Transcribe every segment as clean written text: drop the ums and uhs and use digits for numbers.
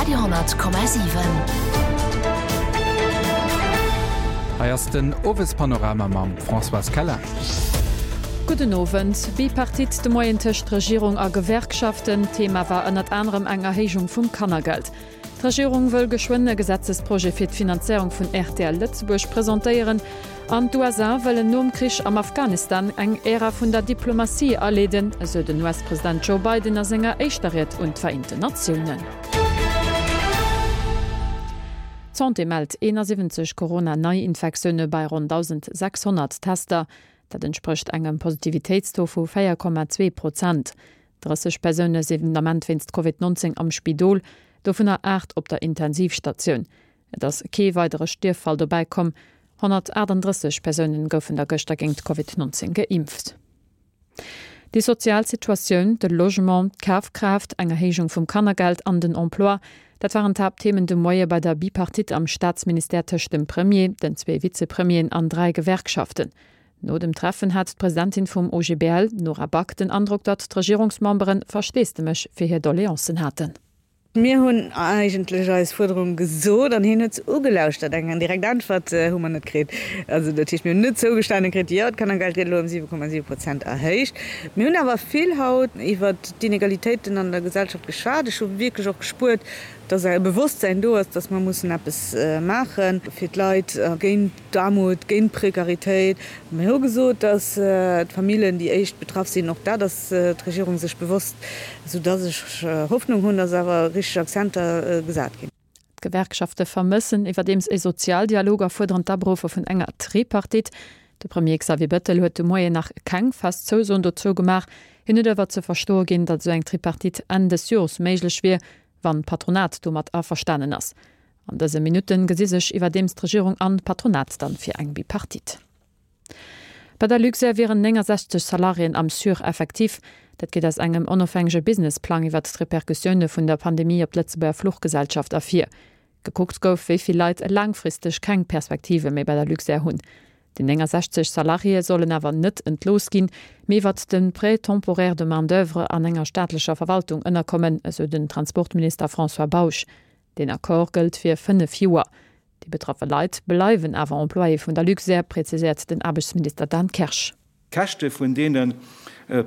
Radio 10,7. Hei ass den Owespanorama mam Françoise Keller. Gudden Owend. Bipartite de Moien tëscht Regierung a Gewerkschaften. Thema war ënnert anerem eng Erhéijung vum Kannergeld. D'Regierung wëll geschwënn e Gesetzesprojet fir d'Finanzéierung vun rtl Lëtzebuerg presentéieren. An d'USA wëllen nom Krich am Afghanistan eng Ära vun der Diplomatie aleeden, esou den US-President Joe Biden a senger éischter Ried un d'Vereenten Natiounen. D'Santé mellt 71 Corona-Neiinfektioune bei ronn 1.600 Tester. Dat entsprécht engem Positivitéitstaux vu 4,2 Prozent. 30 Persoune sinn den Ament wéinst Covid 19 am Spidol, dovunner 8 op der Intensivstatioun. Et ass kee weidere Stierffall dobäi komm. 138 Persounen goufen der gëschter géingt Covid 19 geimpft. Déi sozial Situatioun, de Logement, d'Kafkraaft, eng Erhéijung vum Kannergeld an den Emploi, dat waren d'Haaptthemen de Moie bei der Bipartite am Staatsministère tëscht dem Premier, den zwee Vizepremieren an 3 Gewerkschaften. No dem Treffen hat d'Presidentin vum OGBL, Nora Back, den Androck, datt d'Regierungsmembere Versteesdemech fir hir Doleancen haten. Mir hunn eigentlech eis Fuerderung gesot an hien huet se ugelauschtert. Eng direkt Äntwert hu mer net kritt. Also dat heescht, mir hunn net zougestane kritt, jo, d'Kannergeld gëtt elo ëm 7,7 Prozent erhéicht. Mir hunn awer vill haut iwwert d'Inegalitéiten an der Gesellschaft geschwat. Ech hu wierklech och gespuert, dass e Bewosstsäin do ass, dass mer mussen eppes maache fir d'Leit géint d'Aarmut, géint d'Prekaritéit. Mir hu gesot, dass d'Famillen déi éischt betraff sinn. Och dat ass d'Regierung sech bewosst, soudass ech Hoffnung hunn, dass awer richteg Akzenter gesat ginn. D'Gewerkschafte vermëssen iwwerdeems e Sozialdialog a fuerderen d'Aberuffe vun enger Tripartite. De Premier Xavier Bettel huet de Moien nach keng fest Zousoen dozou gemaach. Hien huet awer ze verstoe ginn, datt esou eng Tripartite Enn des Jores méiglech wier, wann d'Patronat domat averstanen ass. An dëse Minutten gesi sech iwwerdeems d'Regierung an d'Patronat dann fir eng Bipartite. Bei der Luxair wieren 69 Salariéen am Sureffectif. Dat geet aus engem onofhängege Businessplang iwwert d'Repercussioune vun der Pandemie op d'Lëtzebuerger Fluchgesellschaft ervir. Gekuckt gouf, wéi vill Leit laangfristeg keng Perspektive méi bei der Luxair hunn. Déi 69 Salariéë sollen awer net entlooss ginn, mee iwwert de Prêt temporaire de main d'oeuvre an enger staatlecher Verwaltung ënnerkommen, esou den Transportminister François Bausch. Deen Accord gëllt fir 5 Joer. Déi betraffe Leit bleiwen awer Employé vun der Luxair, präziséiert den Aarbechtsminister Dan Kersch. D'Käschte vun deene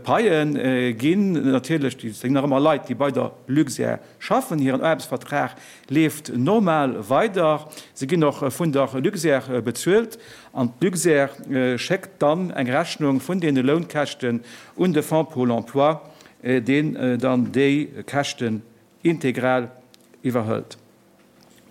Paie ginn natierlech, déi sinn nach ëmmer Leit, déi bei der Luxair schaffen, hiren Aarbechtsvertrag leeft normal weider, se ginn och vun der Luxair bezuelt an d'Luxair schéckt dann eng Rechnung vun deene Lounkäschten un de Fonds pour l'emploi, deen dann déi Käschten integral iwwerhëlt.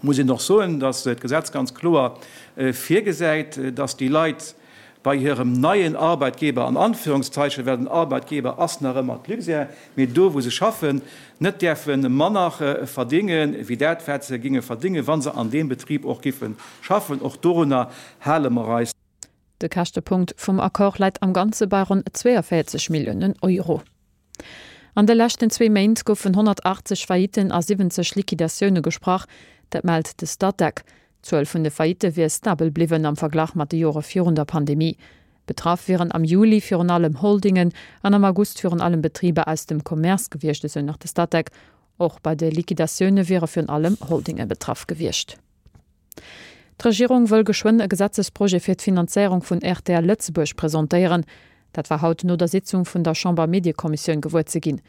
Muss een och soen, dass d'Gesetz ganz kloer virgesäit, dass déi Leit bei hirem neien Arbeitgeber, an Anführungszeichen, well den Arbeitgeber ass nach ëmmer d'Luxair, mee do wou se schaffen, net däerfe manner verdénge wéi dat wat se géinge verdéngen, wa se an deem Betrib och giffe schaffen. Och dorunner hale mer eis. De Käschtepunkt vum Accord läit am Ganze bei ronn 42 Milliounen Euro. An de leschten zwee Méint goufen 180 Faillitten a 70 Liquidatioune gesprach, dat mellt de Statec. D'Zuel vun de Faillitte wier stabel bliwwen am Verglach mat de Jore virun der Pandemie. Betraff wieren am Juli virun allem Holdingen an am August virun allem Betriber aus dem Commerce gewiescht, esou nach de Statec. Och bei de Liquidatioune wiere virun allem Holdinge betraff gewiescht. D'Regierung wëll geschwënn e Gesetzesprojet fir d'Finanzéierung vun rtl Lëtzebuerg presentéieren. Dat war haut no der Sitzung vun der Chamber-Mediekommissioun gewuer ze ginn.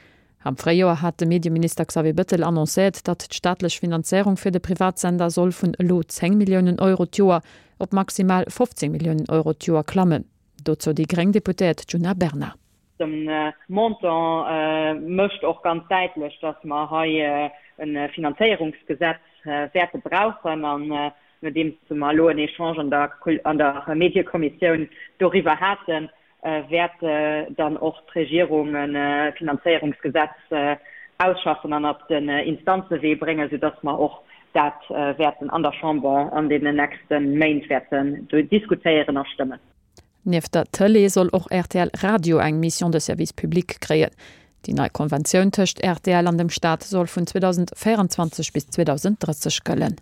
Am Fréijoer hat de Medieminister Xavier Bëttel annoncéiert, datt d'staatlech Finanzéierung fir de Privatsender soll vun elo 10 Milliounen Euro d'Joer op maximal 15 Milliounen Euro d'Joer klammen. Dozou déi gréng Deputéiert Djuna Bernard. De Montant mécht och ganz däitlech, dass mer hei e Finanzéierungsgesetz wäerte brauchen. An nodeems mer elo en Echange an der Mediekommissioun doriwwer haten, wäert dann och d'Regierung e Finanzéierungsgesetz ausschaffen an op den Instanzewee bréngen, soudass mer och dat wäerten an der Chamber an deenen nächste Méint wäerten diskutéieren a stëmmen. Nieft der Tëlee soll och rtl Radio eng Mission de service public kréien. Déi nei Konventioun tëscht rtl an dem Staat soll vun 2024 bis 2030 gëllen.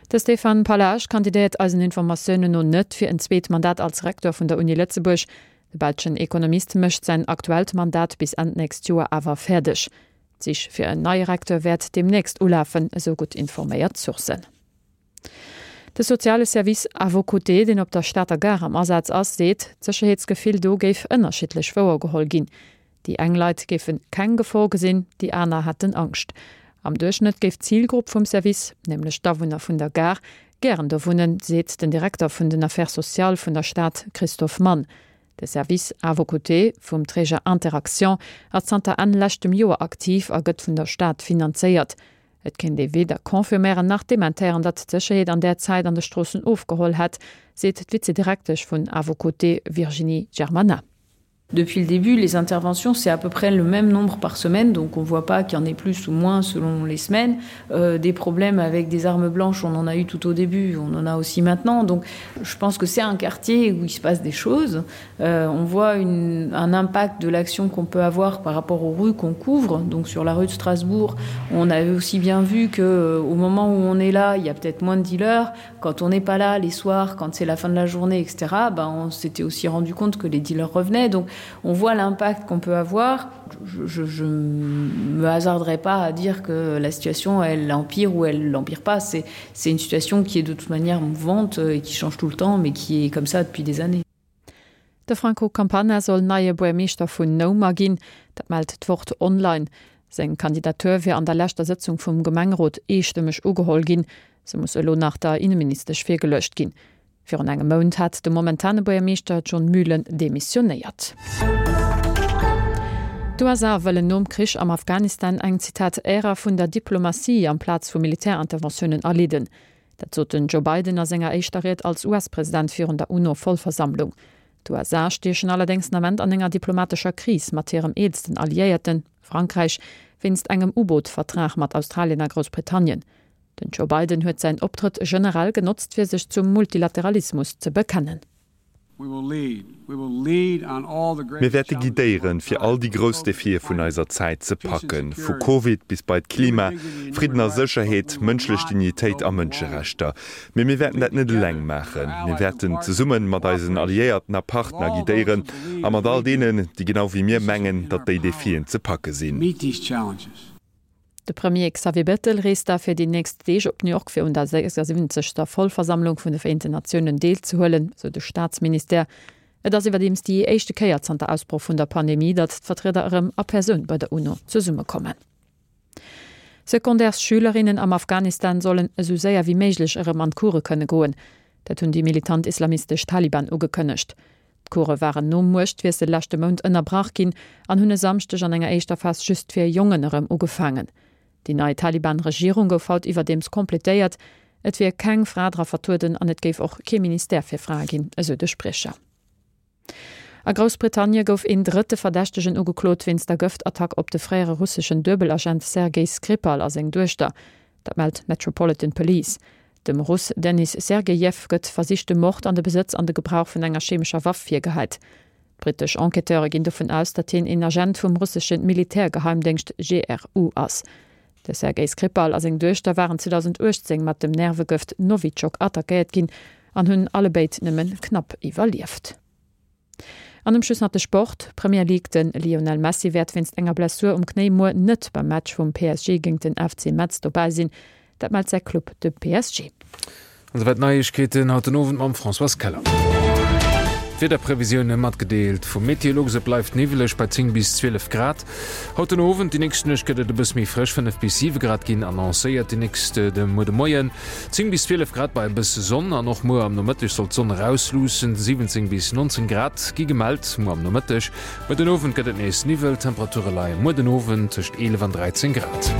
De Stéphane Pallage kandidéiert eisen Informatiounen no net fir en zweet Mandat als Recteur vun der Uni Lëtzebuerg. De belschen Ekonomist mécht säin aktuellt Mandat bis Enn d'nächst Joer awer fäerdeg. D'Sich fir en neie Recteur wäert deemnächst ulafen, esou gutt informéiert Sourcen. De soziale Service À vos côtés, deen op der Stater Gare am Asaz ass, seet, d'Sécherheetsgefill do géif ënnerschiddlech wouergeholl ginn. Déi eng Leit géife keng Gefor gesinn, déi aner hätten Angscht. Am Duerchschnëtt géif d'Zilgrupp vum Service, nämlech d'Awunner vun der Gare, gären do wunnen, seet den Direkter vun den Affaires sociales vun der Stad Christophe Mann. De Service À vos côtés vum Träger Interaction ass zanter Enn leschtem Joer aktiv a gëtt vun der Stad finanzéiert. Et kéint ee weder confirméieren nach dementéieren, datt d'Sécherheet an där Zäit an de Stroossen ofgeholl hätt, seet d'Vizedirektesch vun À vos côtés Virginie Germana. Depuis le début, les interventions, c'est à peu près le même nombre par semaine, donc on voit pas qu'il y en ait plus ou moins selon les semaines. Euh, des problèmes avec des armes blanches, on en a eu tout au début, on en a aussi maintenant. Donc je pense que c'est un quartier où il se passe des choses. Euh, on voit une, un impact de l'action qu'on peut avoir par rapport aux rues qu'on couvre. Donc sur la rue de Strasbourg, on avait aussi bien vu que euh, au moment où on est là, il y a peut-être moins de dealers. Quand on n'est pas là les soirs, quand c'est la fin de la journée, etc., ben, on s'était aussi rendu compte que les dealers revenaient. Donc on voit l'impact qu'on peut avoir. Je, je, je me hasarderai pas à dire que la situation elle empire ou elle l'empire pas. C'est une situation qui est de toute manière mouvante et qui change tout le temps, mais qui est comme ça depuis des années. De Franco Campana soll neie Buermeeschter vun Noumer ginn, dat mellt d'Wort online. Seng Kandidatur wier an der leschter Sëtzung vum Gemengerot eestëmmeg ugeholl ginn. Se muss elo nach der Inneministesch virgeluecht ginn. Virun engem Mount hat de momentane Buergermeeschter John Mühlen demissionéiert. D'USA wëllen nom Krich am Afghanistan eng, Zitat, Ära vun der Diplomatie amplaz vu Militärinterventiounen aleeden. Dat sot den Joe Biden a senger éischter Ried als US-President virun der UNO-Vollversammlung. D'USA stiechen allerdéngs den Ament an enger diplomatescher Kris mat hirem eelsten Alliéierten, Frankräich, wéinst engem U-Boot-Vertrag mat Australien a Groussbritannien. Den Joe Biden huet säin Optrëtt generell genotzt fir sech zum Multilateralismus ze bekennen. Mir wäerte guidéieren, fir all déi grouss Defie vun eiser Zäit ze packen, vu Covid bis bei d'Klima, Fridden a Sécherheet, mënschlech Dignitéit a Mënscherechter. Mee mir wäerten dat net eleng maachen. Mir wäerten zesumme mat eisen Alliéierten a Partner guidéieren a mat all deenen, déi genau wéi mir mengen, datt déi Defien ze packe sinn. De Premier Xavier Bettel reest da fir déi nächst Deeg op New York fir un der 76. Vollversammlung vun de Vereenten Natiounen deelzehuelen, sou de Staatsministère. Et ass iwwerdeems déi éischte Kéier zanter Ausbroch vun der Pandemie, datt d'Vertrieder erëm a Persoun bei der UNO zesummekommen. Secondaires-Schülerinnen am Afghanistan sollen esou séier wéi méiglech erëm an d'Course kënne goen. Dat hunn déi militant islamistesch Taliban ugekënnegt. D'Course waren nom Muechtwiessel leschte Mount ënnerbrach ginn an hunn e Samschdeg an enger éischter Phas just fir Jongen erëm ugefaangen. Déi nei Taliban-Regierung gouf haut iwwerdeems completéiert. Et wier keng Fra dra vertrueden an et géif och kee Ministère fir Frae ginn, esou de Spriecher. A Groussbritannie gouf een drëtte Verdächtegen ugeklot wéinst der Gëftattack op de fréiere russeschen Duebelagent Sergei Skripal a seng Duechter. Dat mellt d'Metropolitan Police. Dem Russ Denis Sergejew gëtt versichte Mord an de Besëtz an de Gebrauch vun enger chemescher Waff virgeheit. D'brittesch Enquêteure ginn dovun aus, datt hien een Agent vum russesche Militärgeheimdéngscht GRU ass. De Sergei Skripal a seng Duechter waren 2018 mat dem Nervegëft Nowitschok attackéiert ginn an hunn allebéid nëmme knapp iwwerlieft. An um Schluss nach de Sport, Premier League, De Lionel Messi wäert wéinst enger Blessur um Knéi muer net beim Match vum PSG géingt den FC Metz dobäi sinn. Dat mellt säi Club, de PSG. An esouwäit d'Neiegkeeten haut den Owend mam Françoise Keller. D'Wiederprevisioune matgedeelt vum Meteolux, Et bleift niwweleg bei 10 bis 12 Grad haut den Owend. Déi nächst Nuecht gëtt et e bësse méi frësch, 5 bis 7 Grad ginn annoncéiert. Déi nächst de muer de Moien 10 bis 12 Grad bei e bësse Sonn an och muer am Nomëtteg soll d'Sonn erausluussen. 17 bis 19 Grad gi gemellt muer am Nomëtteg. Muer den Owend gëtt et nees Niwwel, d'Temperature leie muer den Owend tëscht 11 an 13 Grad.